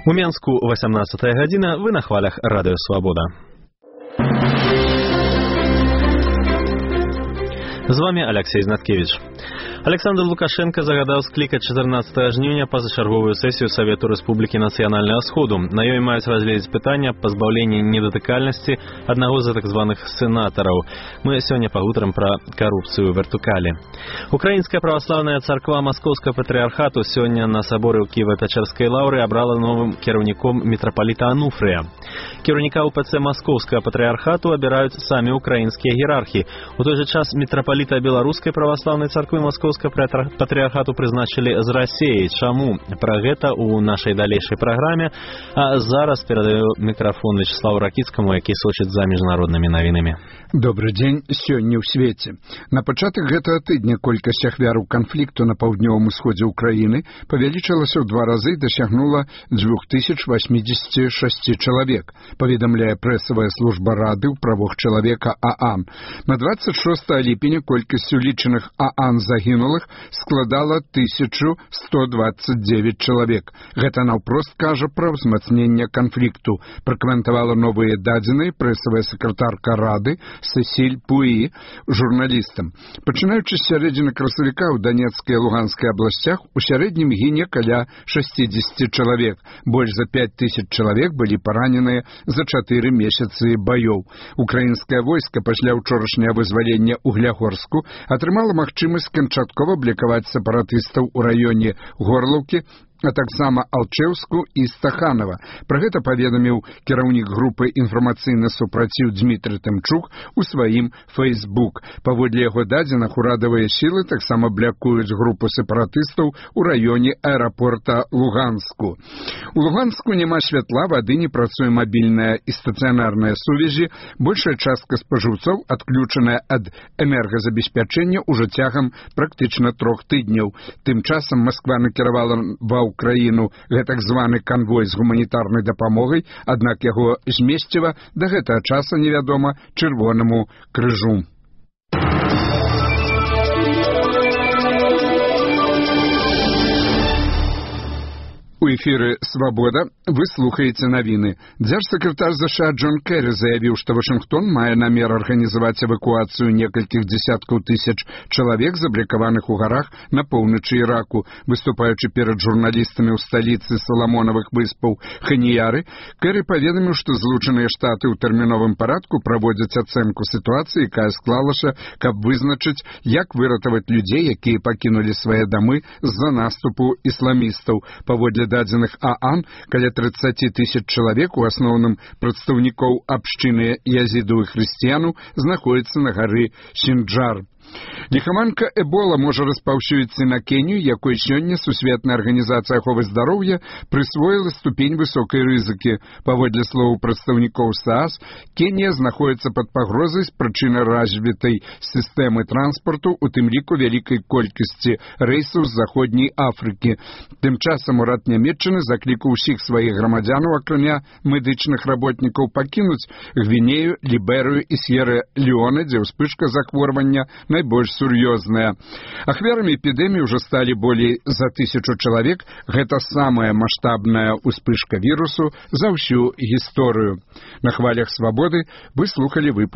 У Менску 18 гадзіна, вы на хвалях Радыё Свабода. З вами Алексей Знаткевич. Александр Лукашенко загадаў склікаць 14 жніўня пазачарговую сесію Совету Рэспублікі Нацыянальнага Сходу. На ёй маюць разгледзець пытання пазбаўлення недатыкальнасці аднаго з так званых сенатараў. Мы сёння пагутарым пра карупцыю ў вертыкалі. Украінская праваслаўная царква Маскоўскага патрыархату сёння на саборы ў Кіева-Пячэрскай лаўры абрала новым кіраўніком мітрапаліта Ануфрыя. Кіраўніка УПЦ Маскоўскага патрыархату абіраюць самі украінскія іерархі. У той жа час мітрапаліта беларускай праваслаўнай царквы Маскоўскага патрыархату прызначылі з Расіі. Чаму? Пра гэта ў нашай далейшай праграме. А зараз перадаю мікрафон Вячеславу Ракіцкаму, які сочыць за міжнароднымі навінамі. Добры дзень. Сёння ў свеце. На пачатак гэтага тыдня колькасць ахвяраў канфлікту на паўднёвым усходзе ўкраіны павялічылася ў 2 разы і дасягнула 2086 чалавек, паведамляе прэсавая служба Рады ў правах чалавека ААН. На 26 ліпеня колькасць улічаных ААН загінулых складала 1129 чалавек. Гэта наўпрост кажа пра ўзмацненне канфлікту, пракаментавала новыя дадзеныя прэсавая сакратарка Рады Сесіль Пуі журналістам. Пачынаючы з сярэдзіны красавіка ў Данецкай і Луганскай абласцях у сярэднім гіне каля 60 чалавек. Больш за 5000 чалавек былі параненыя за 4 месяцы баёў. Украінскае войска пасля ўчорашняга вызвалення Углягорску атрымала магчымасць канчаткова блокаваць сепаратыстаў у раёне Горлаўкі, а таксама Алчэўску і Стаханова. Пра гэта паведаміў кіраўнік групы інфармацыйны супраціў Дмітрый Тымчук у сваім Facebook. Паводле яго дадзеных, урадавыя сілы таксама блякуюць групу сепаратыстаў у раёне аэрапорта Луганску. У Луганску няма святла, вады, не працуе мабільная і стацыянарная сувязі. Большая частка спажыўцоў адключаная ад энергазабеспячэння ўжо цягам практычна 3 тыдняў. Тым часам Масква накіравала ва Украіну гэтак званы канвой з гуманітарнай дапамогай, аднак яго змесціва да гэтага часа невядома Чырвонаму крыжу. У эфіры «Свабода» вы слухаеце навіны. Дзяржсакратар ЗША Джон Керрі заявіў, што Вашынгтон мае намер арганізаваць эвакуацыю некалькіх дзесяткаў тысяч чалавек, заблокаваных у гарах на поўначы Іраку. Выступаючы перад журналістамі ў сталіцы Саламонавых выспаў Ханіяры, Керрі паведаміў, што Злучаныя Штаты ў тэрміновым парадку праводзяць ацэнку сітуацыі, якая склалася, каб вызначыць, як выратаваць людзей, якія пакінулі свае дамы з-за наступу ісламістаў. Паводле дадзеных ААН, каля 30 000 чалавек, у асноўным прадстаўнікоў абшчыны язіду і хрысціяну, знаходзяцца на гары Сінджар. Ліхаманка Эбола можа распаўсюдзіцца на Кенію, якой сёння Сусветная арганізацыя аховы здароўя прысвоіла ступень высокай рызыкі. Паводле словаў прадстаўнікоў СААС, Кенія знаходзіцца пад пагрозай з прычыны развітай сістэмы транспарту, у тым ліку вялікай колькасці рэйсаў з заходняй Афрыкі. Тым часам урад Нямецчыны заклікаў усіх сваіх грамадзянаў, акрамя медычных работнікаў, пакінуць Гвінею, Ліберыю і Сьерра-Леоне, дзе ўспышка захворвання найбольш сур'ёзная. Ахвярамі эпідэміі ўжо сталі болей за 1000 чалавек. Гэта самая маштабная ўспышка вірусу за ўсю гісторыю. На хвалях Свабоды вы слухалі выпуск